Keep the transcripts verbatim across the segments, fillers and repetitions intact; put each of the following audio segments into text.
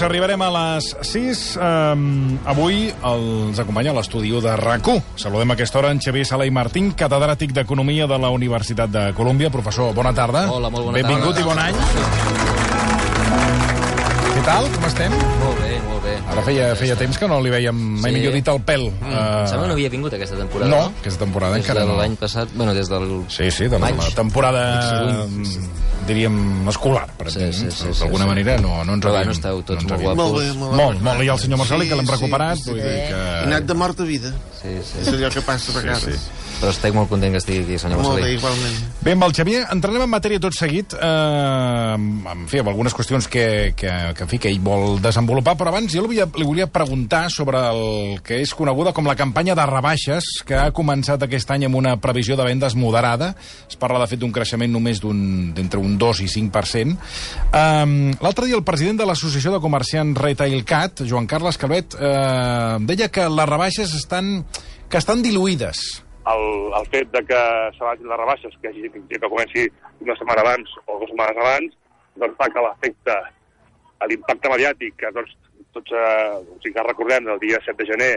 arribarem a les sis. Um, avui els acompanya a l'estudi de RAC1. Saludem a aquesta hora en Xavier Sala i Martín, catedràtic d'Economia de la Universitat de Colúmbia. Professor, bona tarda. Hola, molt bona Benvingut tarda. i bon any. Què tal? Com estem? Molt bé, molt bé. Ara feia, feia temps que no li veiem, mai Sí. millor dit, el pèl. Mm. Uh, Em sembla que no havia vingut aquesta temporada. no, aquesta temporada des encara de no. l'any passat, bueno, des del... Sí, sí, de la, maig. la temporada, Juny. diríem, escolar, per Sí, exemple. sí, sí, sí, D'alguna sí. manera no, no ens Però havíem... bueno, esteu tots no ens molt havíem- guapos. Molt bé, molt bé. Molt, molt. I el senyor Marcel, que l'hem Sí, recuperat. sí, Vull sí. dir que... He anat de mort a vida. Sí, sí. És allò que passa a vegades. Sí, sí. Però estic molt content que estigui aquí, senyor Molt bé, Marcelí. igualment. Bé, amb el Xavier entrarem en matèria tot seguit, eh, en fi, amb algunes qüestions que, que, que, en fi, que ell vol desenvolupar, però abans jo li volia, li volia preguntar sobre el que és coneguda com la campanya de rebaixes, que ha començat aquest any amb una previsió de vendes moderada. Es parla, de fet, d'un creixement només d'un d'entre un dos i cinc per cent. Eh, L'altre dia el president de l'Associació de Comerciants Retailcat, Joan Carles Calvet, eh, deia que les rebaixes estan, que estan diluïdes. El, el fet de que s'abaixin les rebaixes, que, hagi, que comenci una setmana abans o dues setmanes abans, doncs fa que l'efecte, l'impacte mediàtic, que doncs, tots, eh, o sigui que recordem, el dia set de gener,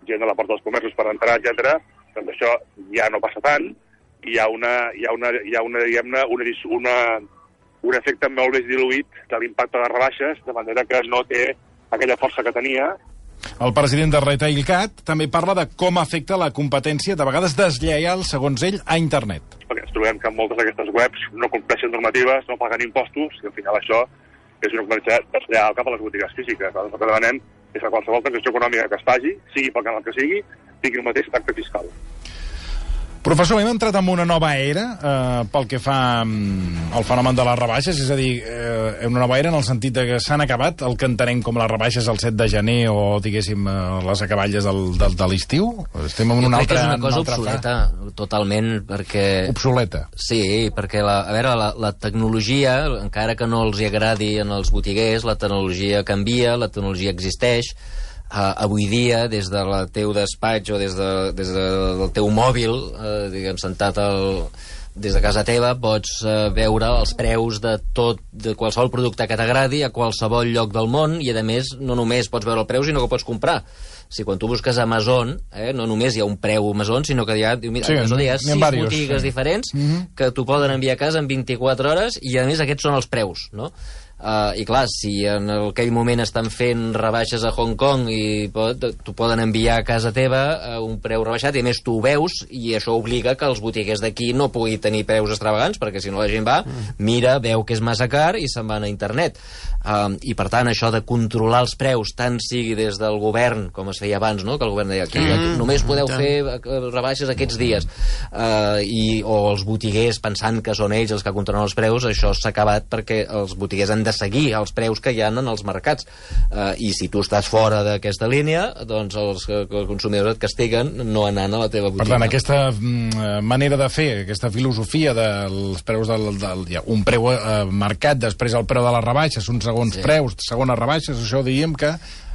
gent a la porta dels comerços per entrar, etcètera, doncs això ja no passa tant, i hi ha una, hi ha una, hi ha una, diguem-ne, una, una, un efecte molt més diluït de l'impacte de les rebaixes, de manera que no té aquella força que tenia. El president de Retailcat també parla de com afecta la competència, de vegades deslleial, segons ell, a internet. Perquè ens trobem que moltes d'aquestes webs no compleixen normatives, no paguen impostos, i al final això és una competència deslleial cap a les botigues físiques. El que demanem és que qualsevol transacció econòmica que es faci, sigui pel canal que sigui, tingui el mateix tracte fiscal. Professor, hem entrat en una nova era eh, pel que fa mm, al fenomen de les rebaixes, és a dir, eh, una nova era en el sentit de que s'han acabat el que entenem com les rebaixes el set de gener o, diguéssim, eh, les acaballes del, del, de l'estiu? Estem en Jo una crec que altra... és una cosa altra obsoleta, totalment, perquè... Obsoleta. Sí, perquè, la, a veure, la, la tecnologia, encara que no els hi agradi en els botiguers, la tecnologia canvia, la tecnologia existeix. Uh, avui dia, des del teu despatx o des, de, des de, del teu mòbil, uh, diguem, sentat al, des de casa teva, pots uh, veure els preus de tot, de qualsevol producte que t'agradi a qualsevol lloc del món, i a més no només pots veure el preu, sinó que pots comprar. Si quan tu busques a Amazon, eh, no només hi ha un preu Amazon, sinó que hi ha, diu, mira, Sí, a Amazon hi ha n'hi ha sis diversos, botigues sí. diferents Mhm. que t'ho poden enviar a casa en vint-i-quatre hores, i a més aquests són els preus, no? Uh, I clar, si en aquell moment estan fent rebaixes a Hong Kong i pot, t'ho poden enviar a casa teva a un preu rebaixat, i a més tu ho veus, i això obliga que els botiguers d'aquí no pugui tenir preus extravagants, perquè si no la gent va, mira, veu que és massa car i se'n van a internet. Uh, I per tant, això de controlar els preus, tant sigui des del govern, com es feia abans, no? Que el govern deia, aquí, aquí només podeu fer rebaixes aquests dies, uh, i, o els botiguers pensant que són ells els que controlen els preus, això s'ha acabat perquè els botiguers han de seguir els preus que hi ha en els mercats, uh, i si tu estàs fora d'aquesta línia, doncs els, els consumidors et castiguen no anant a la teva botiga. Per tant, aquesta mm, manera de fer, aquesta filosofia dels preus del, del, ja, un preu eh, marcat, després el preu de les rebaixes, uns segons Sí. preus, segones rebaixes, això diríem que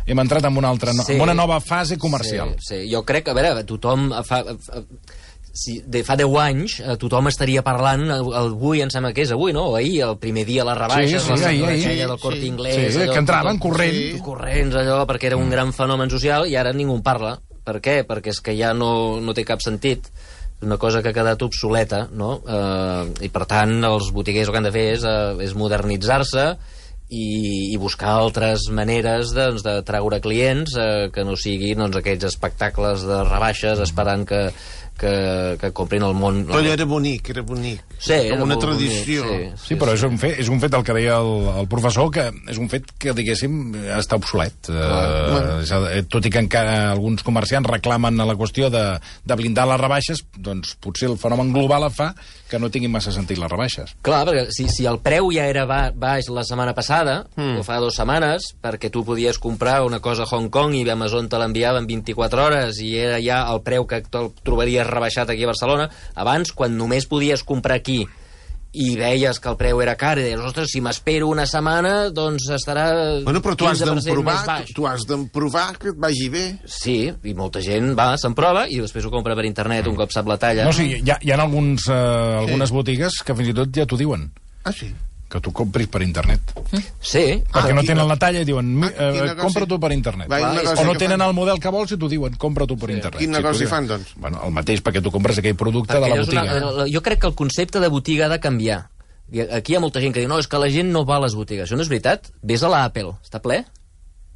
hem entrat en una, altra, no, Sí. en una nova fase comercial. Sí, sí, jo crec que, a veure, tothom fa... fa si de fa deu anys eh, tothom estaria parlant, avui em sembla que és avui, no? O ahir, el primer dia les rebaixes, Sí, sí, la ahir, ahir. aquella del Corte Sí, Inglés, Sí, allò, que entraven tothom- corrent. Sí. corrents, allò, perquè era un gran fenomen social, i ara ningú en parla. Per què? Perquè és que ja no, no té cap sentit. És una cosa que ha quedat obsoleta, no? Eh, I, per tant, els botiguers el que han de fer és, eh, és modernitzar-se i, i buscar altres maneres doncs, de treure clients eh, que no siguin doncs, aquells espectacles de rebaixes esperant que, que, que comprin el món... Però era bonic, era bonic. Sí, era com una molt tradició. bonic, Sí, però és un fet, és un fet el que deia el, el professor, que és un fet que, diguéssim, està obsolet. Uh, uh, tot i que encara alguns comerciants reclamen a la qüestió de, de blindar les rebaixes, doncs potser el fenomen global fa que no tinguin massa sentit les rebaixes. Clar, perquè si, si el preu ja era ba baix la setmana passada, mm. o fa dues setmanes, perquè tu podies comprar una cosa a Hong Kong i Amazon te l'enviava en vint-i-quatre hores i era ja el preu que te'l trobaries rebaixat aquí a Barcelona, abans, quan només podies comprar aquí i veies que el preu era car, i deies, ostres, si m'espero una setmana, doncs estarà Bueno, però tu has quinze per cent d'emprovar, més baix. tu, tu has d'emprovar que et vagi bé. Sí, i molta gent va, se'n prova, i després ho compra per internet un cop sap la talla. No, sí, hi ha, hi ha alguns, eh, algunes botigues que fins i tot ja t'ho diuen. Ah, sí? que tu compris per internet. Sí. Perquè Ah, no quina- tenen la talla i diuen, Ah, eh, quin negoci- compra tu per internet. Va, quin O negoci no que tenen fan? el model que vols i t'ho diuen, compra tu per internet. Quin Si negoci tu dius- fan, doncs? Bueno, el mateix, perquè tu compres aquell producte de la Perquè és botiga. Una, jo crec que el concepte de botiga ha de canviar. I aquí hi ha molta gent que diu, no, és que la gent no va a les botigues. Això no és veritat. Ves a l'Apple, està ple?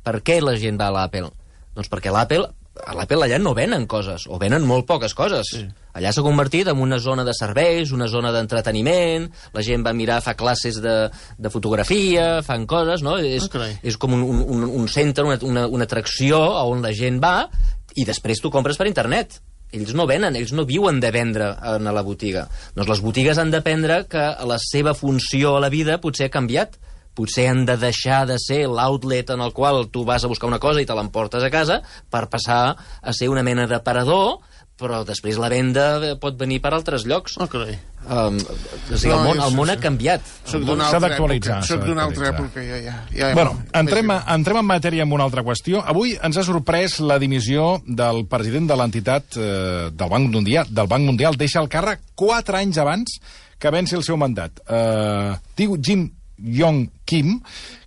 Per què la gent va a l'Apple? Doncs perquè l'Apple, a l'Apple allà no venen coses, o venen molt poques coses. Sí. Allà s'ha convertit en una zona de serveis, una zona d'entreteniment, la gent va mirar, fa classes de, de fotografia, fan coses, no? És, Ah, carai. és com un, un, un centre, una, una, una atracció on la gent va i després tu compres per internet. Ells no venen, ells no viuen de vendre en la botiga. Doncs les botigues han d'aprendre que la seva funció a la vida potser ha canviat. Potser han de deixar de ser l'outlet en el qual tu vas a buscar una cosa i te l'emportes a casa per passar a ser una mena d'aparador, però després la venda pot venir per altres llocs. Oh, carai. Um, o sigui, No, el, món, jo el món sé, ha sé. canviat. Soc El d'una món- S'ha altra d'actualitzar, època. s'ha Soc d'una altra d'actualitzar. època, ja, ja. ja Bueno, entrem, a, entrem en matèria amb una altra qüestió. Avui ens ha sorprès la dimissió del president de l'entitat eh, del Banc Mundial. Del Banc Mundial deixa el càrrec quatre anys abans que venci el seu mandat. Eh, diu Jim Yong Kim,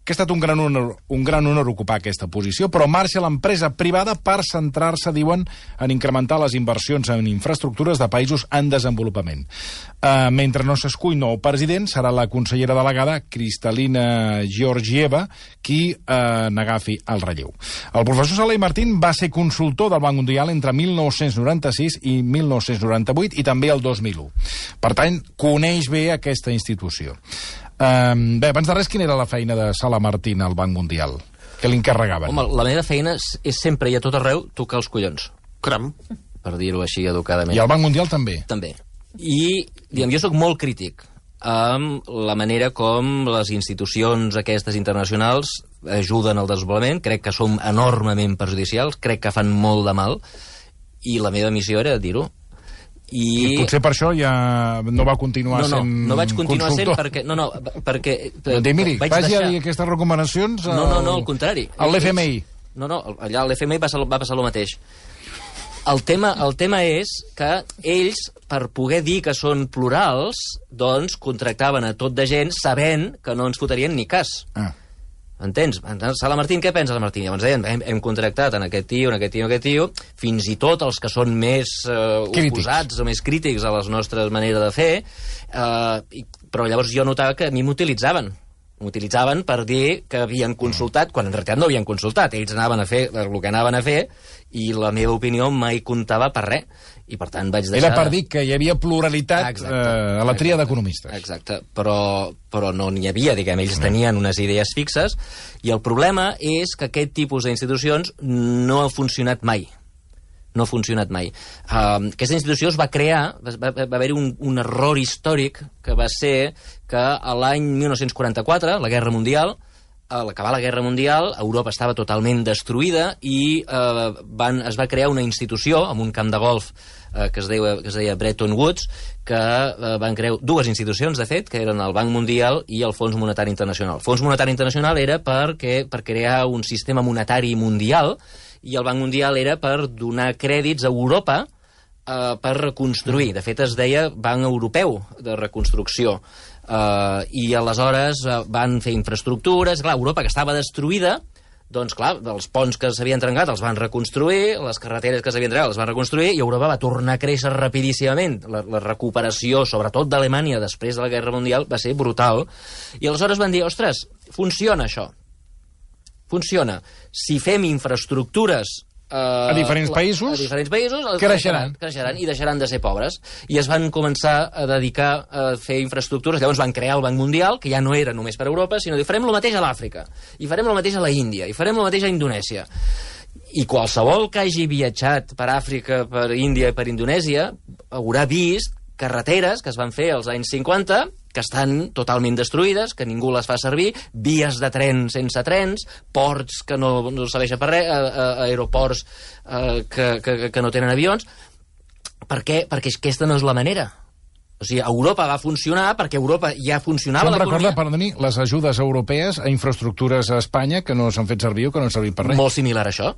que ha estat un gran honor, un gran honor ocupar aquesta posició, però marxa a l'empresa privada per centrar-se, diuen, en incrementar les inversions en infraestructures de països en desenvolupament. Uh, mentre no s'escull nou president, serà la consellera delegada Cristalina Georgieva qui uh, n'agafi el relleu. El professor Salai Martín va ser consultor del Banc Mundial entre mil nou-cents noranta-sis i mil nou-cents noranta-vuit i també el dos mil u. Per tant, coneix bé aquesta institució. Um, bé, abans de res, quina era la feina de Sala Martín al Banc Mundial? Què li encarregaven? Home, la meva feina és, és sempre i a tot arreu tocar els collons, Cram. per dir-ho així educadament. I al Banc Mundial també? També. I, diguem, jo sóc molt crític amb la manera com les institucions aquestes internacionals ajuden al desenvolupament. Crec que som enormement perjudicials, crec que fan molt de mal, i la meva missió era dir-ho. I... I potser per això ja no va continuar no, no, sent no vaig continuar consultor. sent perquè... No, no, perquè... Doncs dir, miri, vaig vagi deixar... a dir aquestes recomanacions al... No, no, no, al contrari. a l'F M I. No, no, allà a l'F M I va, ser, va passar el mateix. El tema, el tema és que ells, per poder dir que són plurals, doncs contractaven a tot de gent sabent que no ens fotrien ni cas. Ah. Entens? Sala Martín, què pensa la Martín? Llavors deien, hem, hem contractat en aquest tio, en aquest tio, en aquest tio, fins i tot els que són més eh, oposats o més crítics a les nostres maneres de fer, eh, i, però llavors jo notava que a mi m'utilitzaven. M'utilitzaven per dir que havien consultat, quan en realitat no havien consultat. Ells anaven a fer el que anaven a fer i la meva opinió mai comptava per res. I per tant vaig deixar... Era per dir que hi havia pluralitat Exacte, eh, a la tria exacte, d'economistes. Exacte, però, però no n'hi havia, diguem, ells tenien unes idees fixes, i el problema és que aquest tipus d'institucions no ha funcionat mai. No ha funcionat mai. Uh, aquesta institució es va crear, va, va, va haver-hi un, un error històric que va ser que a l'any mil nou-cents quaranta-quatre, la Guerra Mundial, a l'acabar la Guerra Mundial, Europa estava totalment destruïda i eh, van, es va crear una institució amb un camp de golf eh, que, es deia, que es deia Bretton Woods, que eh, van crear dues institucions, de fet, que eren el Banc Mundial i el Fons Monetari Internacional. El Fons Monetari Internacional era perquè, per crear un sistema monetari mundial i el Banc Mundial era per donar crèdits a Europa eh, per reconstruir. De fet, es deia Banc Europeu de Reconstrucció. Uh, i aleshores uh, van fer infraestructures. Clar, Europa, que estava destruïda, doncs clar, els ponts que s'havien trencat els van reconstruir, les carreteres que s'havien trencat les van reconstruir, i Europa va tornar a créixer rapidíssimament. La, la recuperació, sobretot d'Alemanya, després de la Guerra Mundial, va ser brutal. I aleshores van dir, ostres, funciona això. Funciona. Si fem infraestructures a diferents països, a diferents països creixeran. creixeran i deixaran de ser pobres. I es van començar a dedicar a fer infraestructures. Llavors van crear el Banc Mundial, que ja no era només per Europa, sinó que farem el mateix a l'Àfrica, i farem el mateix a la Índia, i farem el mateix a Indonèsia. I qualsevol que hagi viatjat per Àfrica, per Índia i per Indonèsia haurà vist carreteres que es van fer als anys cinquanta que estan totalment destruïdes, que ningú les fa servir, vies de tren sense trens, ports que no, no serveixen per res, a, a, aeroports a, que, que, que no tenen avions. Per què? Perquè aquesta no és la manera. O sigui, Europa va funcionar perquè Europa ja funcionava l'economia. Això em recorda, l'economia. perdoni, les ajudes europees a infraestructures a Espanya que no s'han fet servir o que no han servit per res. Molt similar a això.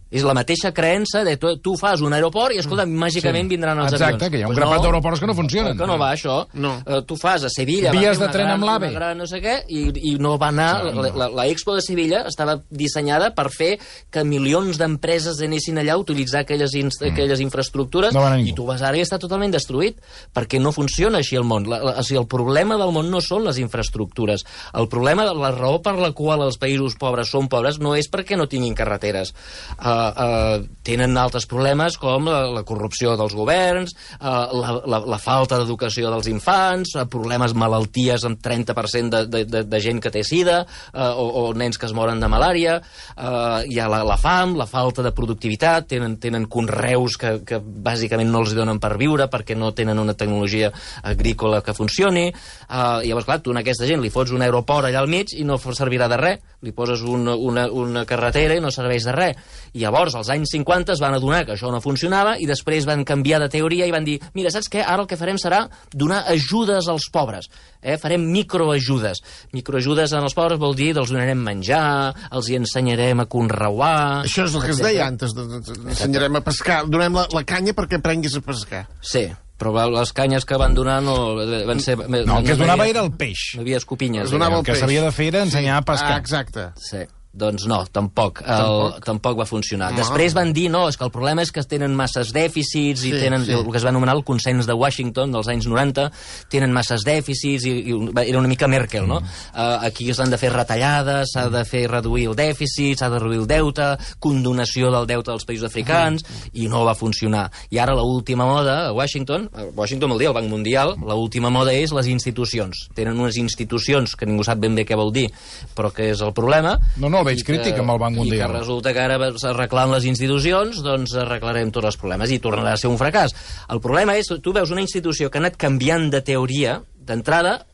És la mateixa creença de tu, tu fas un aeroport i, escolta, màgicament sí. vindran els Exacte, avions. Exacte, que hi ha un pues grapat no, d'aeroports que no funcionen. Que no va, això. No. Uh, tu fas a Sevilla... Vies va de tren gran, amb l'AVE. Gran, no sé què, i, i no va anar... No, la, la, la Expo de Sevilla estava dissenyada per fer que milions d'empreses anessin allà a utilitzar aquelles, inst mm. aquelles infraestructures, no i tu vas ara i està totalment destruït, perquè no funciona així el món. La, la, o sigui, el problema del món no són les infraestructures. El problema, la raó per la qual els països pobres són pobres no és perquè no tinguin carreteres. Uh, uh, tenen altres problemes com la, la corrupció dels governs, uh, la, la, la falta d'educació dels infants, uh, problemes, malalties amb trenta per cent de, de, de, de gent que té sida, uh, o, o nens que es moren de malària, uh, hi ha la, la fam, la falta de productivitat, tenen, tenen conreus que, que bàsicament no els donen per viure perquè no tenen una tecnologia agrícola que funcioni. Uh, llavors, clar, tu a aquesta gent li fots un aeroport allà al mig i no servirà de res, li poses una, una, una carretera i no serveix de res. I llavors, als anys cinquanta es van adonar que això no funcionava i després van canviar de teoria i van dir, mira, saps què? Ara el que farem serà donar ajudes als pobres. Eh? Farem microajudes. Microajudes als pobres vol dir els donarem menjar, els hi ensenyarem a conreuar... Això és el que es deia antes, de, de, de, ensenyarem a pescar. Donem la, la canya perquè aprenguis a pescar. Sí, però les canyes que van donar no van ser... No, el que es donava era el peix. No hi havia escopinyes. Es donava el que s'havia de fer era ensenyar a pescar. Ah, exacte. Sí. Doncs no, tampoc. El, Tampoc? tampoc va funcionar. No. Després van dir, no, és que el problema és que tenen masses dèficits i Sí, tenen sí. el que es va anomenar el consens de Washington dels anys noranta, tenen masses dèficits i, i era una mica Merkel, no? Mm. Uh, aquí s'han de fer retallades, s'ha de fer reduir el dèficit, s'ha de reduir el deute, condonació del deute dels països africans, mm. i no va funcionar. I ara l'última moda a Washington, a Washington vol dir el Banc Mundial, l'última moda és les institucions. Tenen unes institucions que ningú sap ben bé què vol dir, però que és el problema. No, no, el veig crític amb el Banc Mundial. I que resulta que ara arreglant les institucions, doncs arreglarem tots els problemes i tornarà a ser un fracàs. El problema és, tu veus una institució que ha anat canviant de teoria, d'entrada,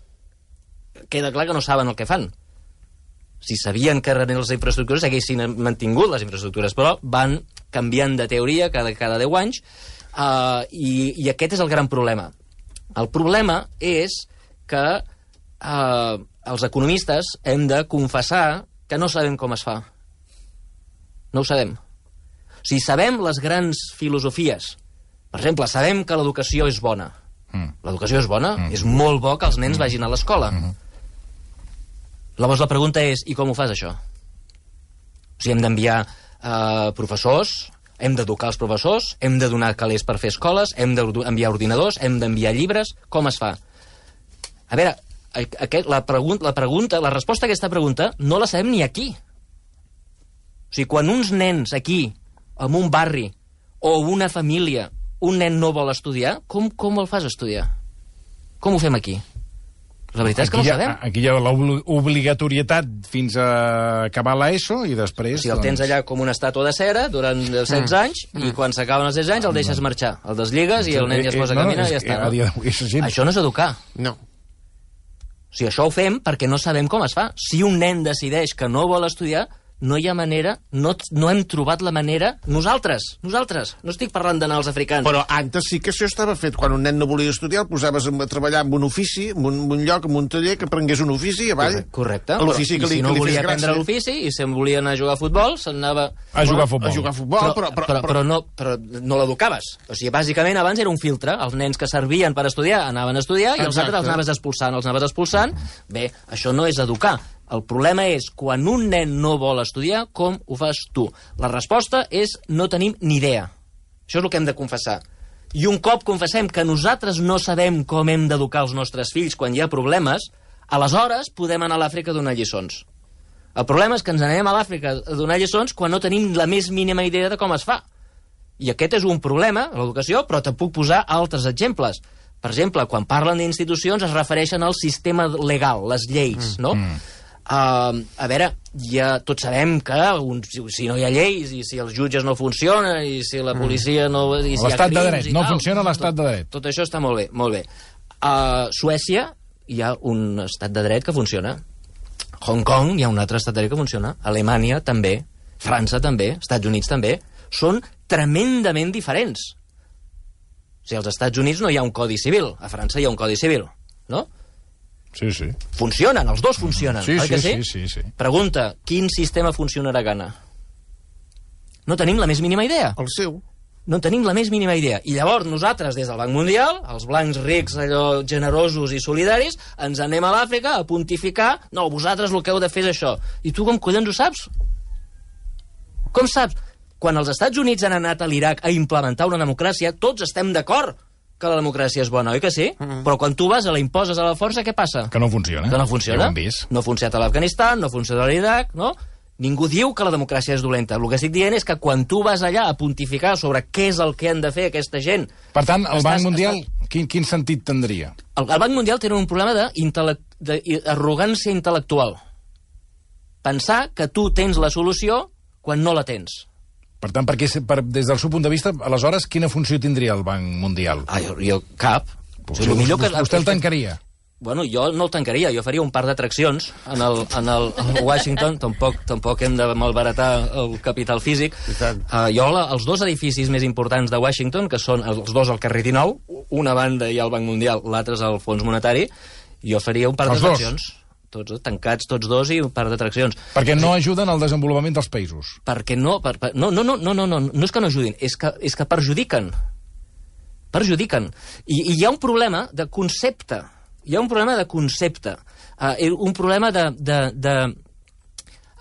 queda clar que no saben el que fan. Si sabien que eren les infraestructures, haguessin mantingut les infraestructures, però van canviant de teoria cada, cada deu anys, uh, i, i aquest és el gran problema. El problema és que uh, els economistes hem de confessar que no sabem com es fa. No ho sabem. O sigui, sabem les grans filosofies. Per exemple, sabem que l'educació és bona. Mm. L'educació és bona? Mm. És molt bo que els nens mm. vagin a l'escola. Mm. Llavors la pregunta és, i com ho fas, això? O sigui, hem d'enviar uh, professors, hem d'educar els professors, hem de donar calés per fer escoles, hem d'enviar ordinadors, hem d'enviar llibres... Com es fa? A veure... Aquest, la, pregunta, la pregunta, la resposta a aquesta pregunta no la sabem ni aquí. O sigui, quan uns nens aquí, en un barri, o una família, un nen no vol estudiar, com, com el fas estudiar? Com ho fem aquí? La veritat és que aquí no ho ha, sabem. Aquí hi ha l'obligatorietat fins a acabar l'ESO i després... O sigui, el tens allà com una estàtua de cera durant setze anys mm. i quan s'acaben els setze anys el deixes marxar. El desligues i el nen ja es posa a caminar i ja està. No? Això no és educar. No. O sigui, això ho fem perquè no sabem com es fa. Si un nen decideix que no vol estudiar, no hi ha manera, no, no hem trobat la manera, nosaltres, nosaltres, no estic parlant d'anar als africans. Però antes sí que això estava fet. Quan un nen no volia estudiar, el posaves a treballar en un ofici, en un, en un lloc, en un taller, que aprengués un ofici avall. Correcte. L'ofici que li, si no que li volia fes aprendre gràcia. l'ofici i se'n volia anar a jugar a futbol, se'n anava... A jugar a futbol. A jugar a futbol, però, però... però, però, però, no, però no l'educaves. O sigui, bàsicament abans era un filtre. Els nens que servien per estudiar anaven a estudiar i els Exacte. altres els anaves expulsant, els anaves expulsant. Bé, això no és educar. El problema és, quan un nen no vol estudiar, com ho fas tu? La resposta és, no tenim ni idea. Això és el que hem de confessar. I un cop confessem que nosaltres no sabem com hem d'educar els nostres fills quan hi ha problemes, aleshores podem anar a l'Àfrica a donar lliçons. El problema és que ens anem a l'Àfrica a donar lliçons quan no tenim la més mínima idea de com es fa. I aquest és un problema, l'educació, però te puc posar altres exemples. Per exemple, quan parlen d'institucions es refereixen al sistema legal, les lleis, no? Mm. Uh, a veure, ja tots sabem que un, si, si no hi ha lleis i si els jutges no funcionen i si la policia no... I si l'estat hi ha de dret, no tal, funciona l'estat tot, de dret. Tot això està molt bé, molt bé. A uh, Suècia hi ha un estat de dret que funciona. Hong Kong hi ha un altre estat de dret que funciona. Alemanya també, França també, Estats Units també. Són tremendament diferents. O sigui, als Estats Units no hi ha un codi civil, a França hi ha un codi civil, no? Sí, sí. Funcionen, els dos funcionen, sí, oi sí, que sí? Sí, sí, sí. Pregunta, quin sistema funcionarà a Ghana? No tenim la més mínima idea. El seu. No tenim la més mínima idea. I llavors nosaltres, des del Banc Mundial, els blancs rics, allò generosos i solidaris, ens anem a l'Àfrica a pontificar, no, vosaltres el que heu de fer és això. I tu com collons ho saps? Com saps? Quan els Estats Units han anat a l'Iraq a implementar una democràcia, tots estem d'acord que la democràcia és bona, oi que sí? Mm-hmm. Però quan tu vas a la imposes a la força, què passa? Que no funciona. Que no funciona. Ja ho hem vist. No ha funcionat a l'Afganistan, no ha funcionat a l'Iraq, no? Ningú diu que la democràcia és dolenta. El que estic dient és que quan tu vas allà a pontificar sobre què és el que han de fer aquesta gent... Per tant, el estàs, Banc Mundial, estàs... quin, quin sentit tindria? El, el Banc Mundial té un problema d'arrogància intel·lectual. Pensar que tu tens la solució quan no la tens. Per tant, perquè, per, des del seu punt de vista, aleshores, quina funció tindria el Banc Mundial? Ah, jo, jo cap. Pues, o sigui, que... Vostè el tancaria? Bueno, jo no el tancaria, jo faria un par d'atraccions en el, en el en Washington, tampoc, tampoc hem de malbaratar el capital físic. Uh, jo, la, els dos edificis més importants de Washington, que són els dos al carrer dinou, una banda hi ha el Banc Mundial, l'altre és el Fons Monetari, jo faria un par d'atraccions. Tots, tancats tots dos i un par d'atraccions. Perquè no ajuden al desenvolupament dels països. Perquè no, per, per, no, no, no, no, no, no, no és que no ajudin, és que, és que perjudiquen. Perjudiquen. I, I hi ha un problema de concepte. Hi ha un problema de concepte. Uh, un problema de... de, de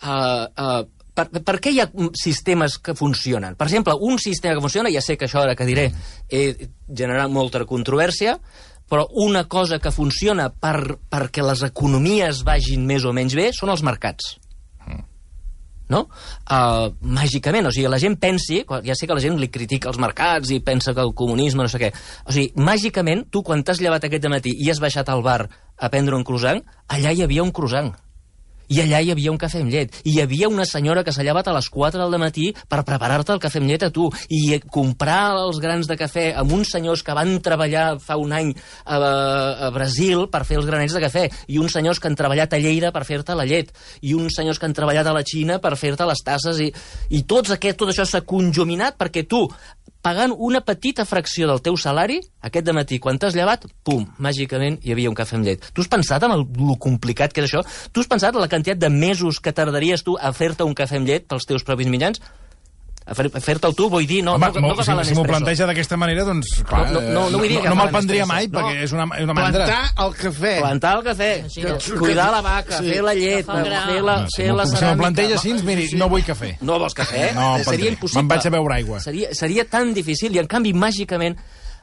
uh, uh, per, per què hi ha sistemes que funcionen? Per exemple, un sistema que funciona, ja sé que això ara que diré eh, generarà molta controvèrsia, però una cosa que funciona per, perquè les economies vagin més o menys bé són els mercats. No? Uh, màgicament, o sigui, la gent pensi, ja sé que la gent li critica els mercats i pensa que el comunisme no sé què, o sigui, màgicament, tu quan t'has llevat aquest matí i has baixat al bar a prendre un croissant, allà hi havia un croissant. I allà hi havia un cafè amb llet. I hi havia una senyora que s'ha llevat a les quatre del matí per preparar-te el cafè amb llet a tu. I comprar els grans de cafè amb uns senyors que van treballar fa un any a, a Brasil per fer els granets de cafè. I uns senyors que han treballat a Lleida per fer-te la llet. I uns senyors que han treballat a la Xina per fer-te les tasses. I, i tots aquest, tot això s'ha conjuminat perquè tu, pagant una petita fracció del teu salari, aquest dematí, quan t'has llevat, pum, màgicament hi havia un cafè amb llet. Tu has pensat en el, el complicat que és això? Tu has pensat en la quantitat de mesos que tardaries tu a fer-te un cafè amb llet pels teus propis mitjans? A fer-te'l tu, vull dir, no... Home, no, no, no si, si m'ho planteja d'aquesta manera, doncs, clar, no, no, no, vull dir no, no me'l prendria mai, no. Perquè és una, una mandra. Plantar el cafè. Plantar el cafè, sí, cuidar la vaca, sí. Fer la llet, fer la, no, fer si la ceràmica... Si m'ho planteja així, miri, no vull cafè. No vols cafè? No, seria impossible. Me'n vaig a beure aigua. Seria, seria tan difícil, i en canvi, màgicament...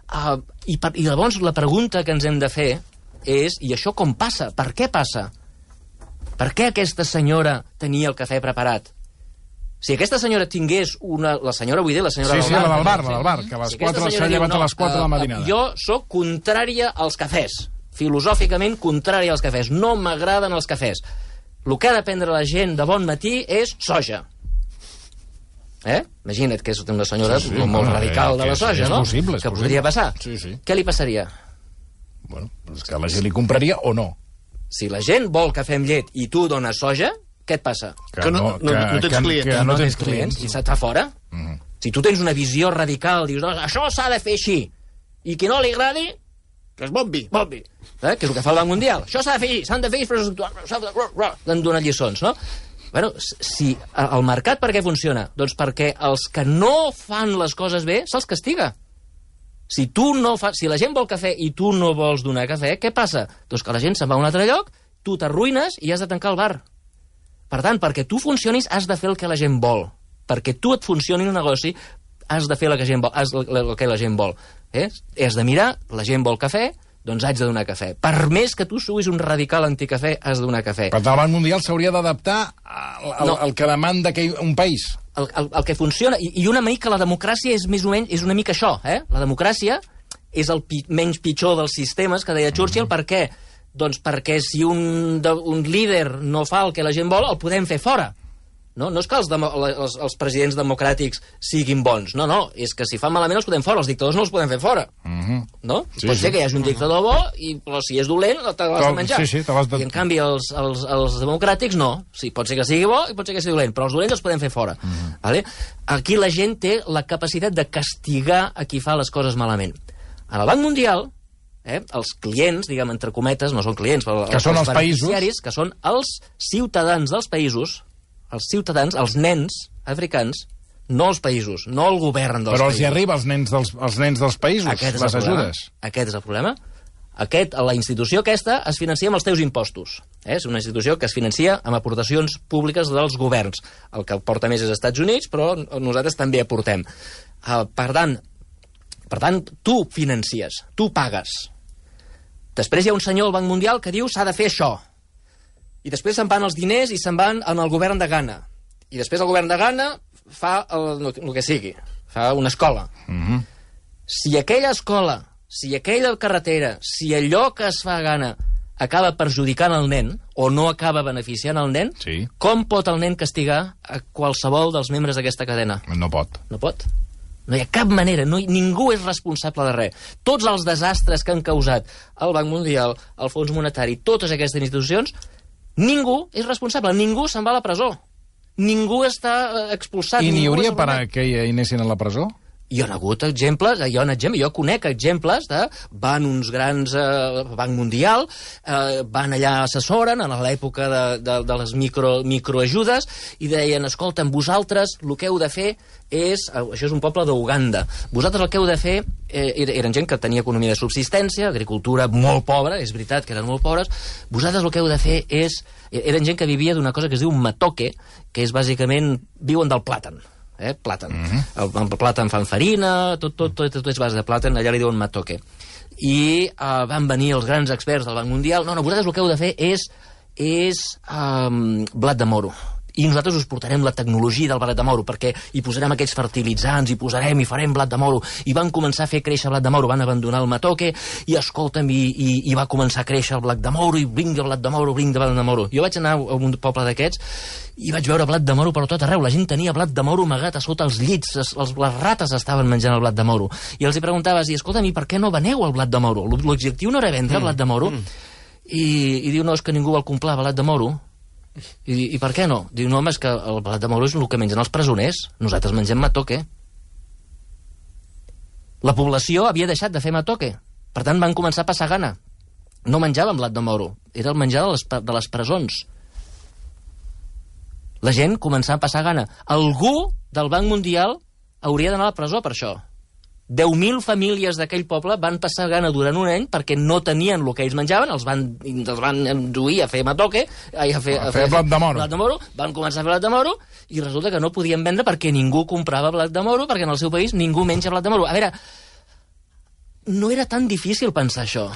Uh, i, per, I llavors la pregunta que ens hem de fer és, i això com passa? Per què passa? Per què aquesta senyora tenia el cafè preparat? Si aquesta senyora tingués una... La senyora, vull dir, la senyora sí, del bar... Sí, la del bar, la del bar, que a les si quatre s'ha llevat no, a les quatre de la matinada. Jo sóc contrària als cafès. Filosòficament contrària als cafès. No m'agraden els cafès. El que ha de prendre la gent de bon matí és soja. Eh? Imagina't que és una senyora sí, sí, molt no, radical eh, de la soja, és no? Possible, és que possible. Podria passar. Sí, sí. Què li passaria? Bueno, és que la gent li compraria o no. Si la gent vol cafè amb llet i tu dones soja, què et passa? Que, que, no, no, que, no tens que, clients. Que no, no tens clients. I se't fa fora. Mm -hmm. Si tu tens una visió radical, dius, no, això s'ha de fer així, i qui no li agradi... Que es bombi. Bombi. Eh? Que és el que fa el Banc Mundial. Això s'ha de fer així, s'han de fer així, d'en donar lliçons, no? Bueno, si el mercat per què funciona? Doncs perquè els que no fan les coses bé se'ls castiga. Si tu no fa... si la gent vol cafè i tu no vols donar cafè, què passa? Doncs que la gent se'n va a un altre lloc, tu t'arruïnes i has de tancar el bar. Per tant, perquè tu funcionis, has de fer el que la gent vol. Perquè tu et funcioni el negoci, has de fer el que la gent vol. Has el que la gent vol. Eh? Has de mirar, la gent vol cafè, doncs haig de donar cafè. Per més que tu siguis un radical anticafè, has de donar cafè. Per tant, el Banc Mundial s'hauria d'adaptar al, al, no. al que demanda que un país. El, el, el que funciona, i, i una mica la democràcia és més o menys, és una mica això, eh? La democràcia és el pi, menys pitjor dels sistemes, que deia Churchill, mm-hmm. per què? Doncs perquè si un, de, un líder no fa el que la gent vol, el podem fer fora. No, no és que els, demo, els, els presidents democràtics siguin bons, no, no, és que si fan malament els podem fora, els dictadors no els podem fer fora. Mm-hmm. No? Sí, pot sí. ser que hi hagi un dictador bo, i, però si és dolent, te l'has de menjar. Sí, sí, te l'has de... I en canvi els, els, els democràtics no. Sí, pot ser que sigui bo i pot ser que sigui dolent, però els dolents els podem fer fora. Mm-hmm. Vale? Aquí la gent té la capacitat de castigar a qui fa les coses malament. En el Banc Mundial, Eh? els clients, diguem, entre cometes, no són clients, però que els, són els beneficiaris, que són els ciutadans dels països, els ciutadans, els nens africans, no els països, no el govern dels Però països. els hi arriba als nens dels, als nens dels països, Aquest és les el problema. ajudes. Aquest és el problema. Aquest, la institució aquesta es financia amb els teus impostos. Eh? És una institució que es financia amb aportacions públiques dels governs. El que porta més és als Estats Units, però nosaltres també aportem. Uh, per tant, per tant, tu financies, tu pagues. Després hi ha un senyor al Banc Mundial que diu s'ha de fer això. I després se'n van els diners i se'n van en el govern de Ghana. I després el govern de Ghana fa el, el que sigui, fa una escola. Mm-hmm. Si aquella escola, si aquella carretera, si allò que es fa a Ghana acaba perjudicant el nen o no acaba beneficiant el nen, Sí. com pot el nen castigar a qualsevol dels membres d'aquesta cadena? No pot. No pot. No hi ha cap manera, no hi, ningú és responsable de res. Tots els desastres que han causat el Banc Mundial, el Fons Monetari, totes aquestes institucions, ningú és responsable, ningú se'n va a la presó. Ningú està expulsat. I n'hi ningú hauria és per a arruïnat. que hi anessin a la presó? Hi ha hagut exemples, hi ha un exemple, jo conec exemples de van uns grans eh, Banc Mundial, eh, van allà, assessoren en l'època de, de, de les micro, microajudes i deien, escolta'm, vosaltres el que heu de fer és, això és un poble d'Uganda, vosaltres el que heu de fer, eh, eren gent que tenia economia de subsistència, agricultura molt pobra, és veritat que eren molt pobres, vosaltres el que heu de fer és, eren gent que vivia d'una cosa que es diu matoke, que és bàsicament, viuen del plàtan. Eh, plàtan. Mm-hmm. el, el plàtan fan farina, tot, tot, tot, tot és base de plàtan, allà li diuen matoke. I uh, van venir els grans experts del Banc Mundial, no, no, vosaltres el que heu de fer és, és um, blat de moro. I nosaltres us portarem la tecnologia del blat de moro, perquè hi posarem aquests fertilitzants, hi posarem i farem blat de moro. I van començar a fer créixer blat de moro, van abandonar el matoke, i escolta'm, i, i, i va començar a créixer el blat de moro, i vinga blat de moro, vinga blat de moro. Jo vaig anar a un poble d'aquests, i vaig veure blat de moro per tot arreu. La gent tenia blat de moro amagat a sota els llits, les, les rates estaven menjant el blat de moro. I els hi preguntaves, i escolta'm, i per què no veneu el blat de moro? L'objectiu no era vendre mm. blat de moro? Mm. I, I diu, no, és que ningú vol comprar blat de moro. I, I per què no? Diu, no, home, és que el blat de moro és el que mengen els presoners. Nosaltres mengem matoke. La població havia deixat de fer matoke. Per tant, van començar a passar gana. No menjaven blat de moro. Era el menjar de les, de les presons. La gent començava a passar gana. Algú del Banc Mundial hauria d'anar a la presó per això. deu mil famílies d'aquell poble van passar gana durant un any perquè no tenien el que ells menjaven, els van, els van induir a fer matoke, a fer, a fer blat de moro. blat de moro, van començar a fer blat de moro, i resulta que no podien vendre perquè ningú comprava blat de moro, perquè en el seu país ningú menja blat de moro. A veure, no era tan difícil pensar això.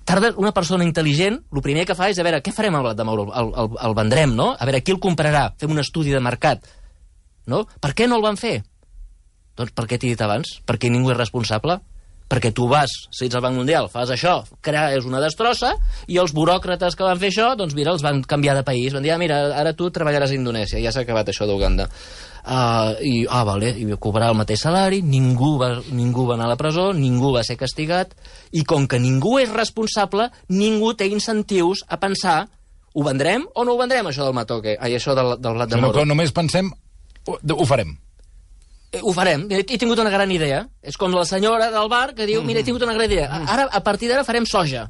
Tarda una persona intel·ligent, el primer que fa és, a veure, què farem amb el blat de moro? El, el, el vendrem, no? A veure, qui el comprarà? Fem un estudi de mercat. No? Per què no el van fer? Doncs per què t'he dit abans? Perquè ningú és responsable. Perquè tu vas, si ets al Banc Mundial, fas això, crees una destrossa, i els buròcrates que van fer això, doncs mira, els van canviar de país. Van dir, ah, mira, ara tu treballaràs a Indonèsia, ja s'ha acabat això d'Uganda. Uh, I, ah, vale, i cobrar el mateix salari, ningú va, ningú va anar a la presó, ningú va ser castigat, i com que ningú és responsable, ningú té incentius a pensar, ho vendrem o no ho vendrem, això del matoke, ai, això del, del blat de moro. Sinó que només pensem, ho, ho farem. Ho farem, he tingut una gran idea. És com la senyora del bar que diu, mira, he tingut una gran idea. Ara, a partir d'ara farem soja.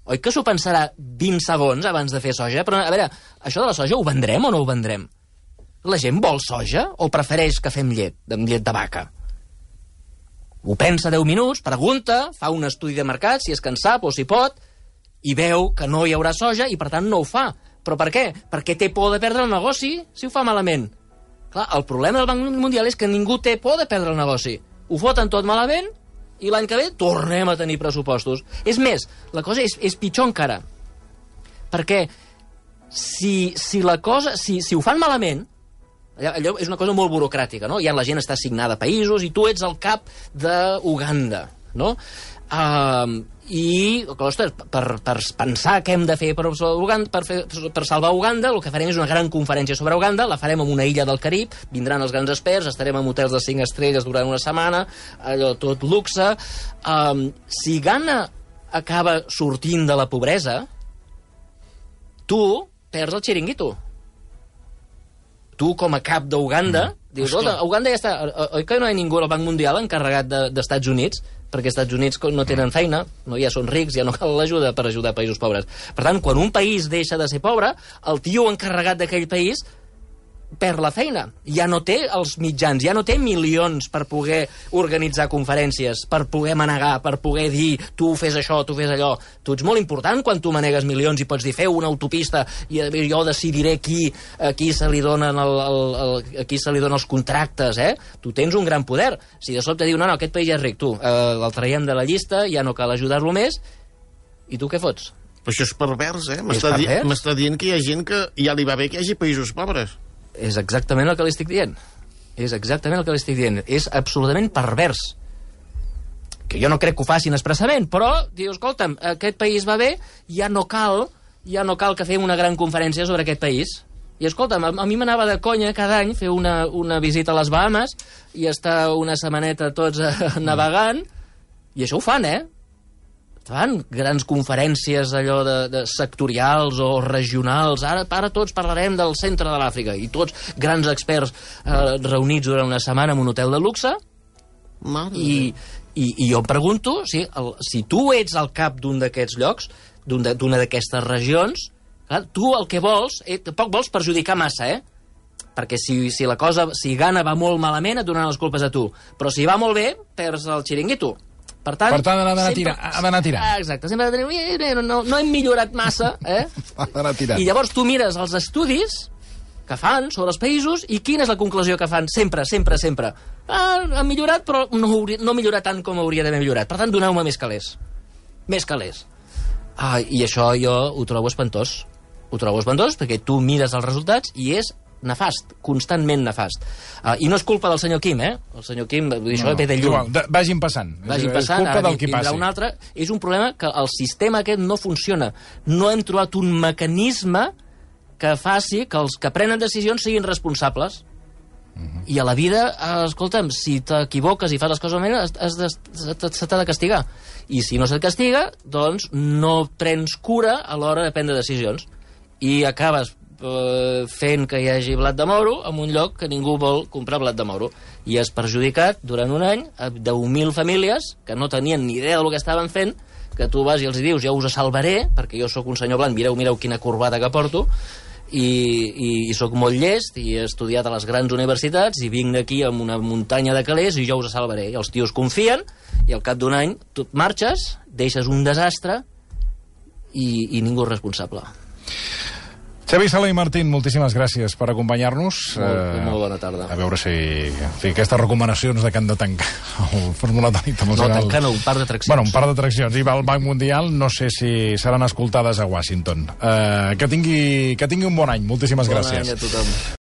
Oi que s'ho pensarà vint segons abans de fer soja? Però, a veure, això de la soja ho vendrem o no ho vendrem? La gent vol soja o prefereix que fem llet, amb llet de vaca? Ho pensa deu minuts, pregunta, fa un estudi de mercat, si és que en sap o si pot, i veu que no hi haurà soja i, per tant, no ho fa. Però per què? Perquè té por de perdre el negoci si ho fa malament. Clar, el problema del Banc Mundial és que ningú té por de perdre el negoci. Ho foten tot malament i l'any que ve tornem a tenir pressupostos. És més, la cosa és, és pitjor encara. Perquè si, si la cosa... Si, si ho fan malament, allò, allò és una cosa molt burocràtica, no? Ja la gent està assignada a països i tu ets el cap d'Uganda, no? Uh, i, ostres, per, per pensar què hem de fer per, Uganda, per, fer, per salvar Uganda, el que farem és una gran conferència sobre Uganda, la farem en una illa del Carib, vindran els grans experts, estarem en hotels de cinc estrelles durant una setmana, allò tot luxe. Um, si Ghana acaba sortint de la pobresa, tu perds el xiringuito. Tu, com a cap d'Uganda, mm. dius, a Uganda ja està... Oi que no hi ha ningú al Banc Mundial encarregat d'Estats de, Units? Perquè els Estats Units no tenen feina, no, ja són rics, ja no cal l'ajuda per ajudar països pobres. Per tant, quan un país deixa de ser pobre, el tio encarregat d'aquell país perd la feina. Ja no té els mitjans, ja no té milions per poder organitzar conferències, per poder manegar, per poder dir tu fes això, tu fes allò. Tu ets molt important quan tu manegues milions i pots dir feu una autopista i jo decidiré qui, a qui se li donen el, el, el, a qui se li donen els contractes, eh? Tu tens un gran poder. Si de sobte diu, no, no, aquest país ja és ric, tu, eh, el traiem de la llista, ja no cal ajudar-lo més, i tu què fots? Però això és pervers, eh? És pervers? M'està dient que hi ha gent que ja li va bé que hi hagi països pobres. És exactament el que li estic dient. És exactament el que li estic dient. És absolutament pervers. Que jo no crec que ho facin expressament, però, diu, escolta'm, aquest país va bé, ja no cal, ja no cal que fem una gran conferència sobre aquest país. I escolta'm, a, a mi m'anava de conya cada any fer una, una visita a les Bahamas i estar una setmaneta tots uh, navegant, i això ho fan, eh? Fan grans conferències allò de, de sectorials o regionals. Ara, ara tots parlarem del centre de l'Àfrica i tots grans experts eh, reunits durant una setmana en un hotel de luxe. I, i, i jo em pregunto si, el, si tu ets al cap d'un d'aquests llocs, d'una un d'aquestes regions, clar, tu el que vols, eh, tampoc vols perjudicar massa, eh? Perquè si, si la cosa, si Ghana va molt malament et donen les culpes a tu, però si va molt bé, perds el xiringuito. Per tant, per tant ha d'anar tirant. Ha d'anar tirant. Ah, exacte, sempre ha d'anar no, no, no hem millorat massa, eh? Ha d'anar tirant. I llavors tu mires els estudis que fan sobre els països i quina és la conclusió que fan sempre, sempre, sempre. Ah, han millorat, però no, hauria, no millorat tant com hauria d'haver millorat. Per tant, doneu-me més calés. Més calés. Ah, i això jo ho trobo espantós. Ho trobo espantós perquè tu mires els resultats i és nefast, constantment nefast. Uh, I no és culpa del senyor Quim, eh? El senyor Quim, vull dir, això no, ve de lluny. Igual, de, vagin passant. Vagin passant, és culpa ara del qui passi. Un altre. És un problema que el sistema aquest no funciona. No hem trobat un mecanisme que faci que els que prenen decisions siguin responsables. Uh-huh. I a la vida, eh, escolta'm, si t'equivoques i fas les coses malament, has de, se t'ha de castigar. I si no se't castiga, doncs no prens cura a l'hora de prendre decisions. I acabes fent que hi hagi blat de moro en un lloc que ningú vol comprar blat de moro. I has perjudicat durant un any a deu mil famílies que no tenien ni idea del que estaven fent, que tu vas i els dius, jo us salvaré, perquè jo sóc un senyor blanc, mireu, mireu quina corbata que porto, i, i, i sóc molt llest, i he estudiat a les grans universitats, i vinc aquí amb una muntanya de calés, i jo us salvaré. I els tios confien, i al cap d'un any tu marxes, deixes un desastre, i, i ningú és responsable. Xavi Sala i Martín, moltíssimes gràcies per acompanyar-nos. Molt, uh, molt bona tarda. A veure si, si aquestes recomanacions de que han de tancar el formulatori internacional... No, tancar no, un par d'atraccions. Bueno, un par d'atraccions. I va al Banc Mundial, no sé si seran escoltades a Washington. Uh, que, tingui, que tingui un bon any. Moltíssimes bon gràcies. Bon any a tothom.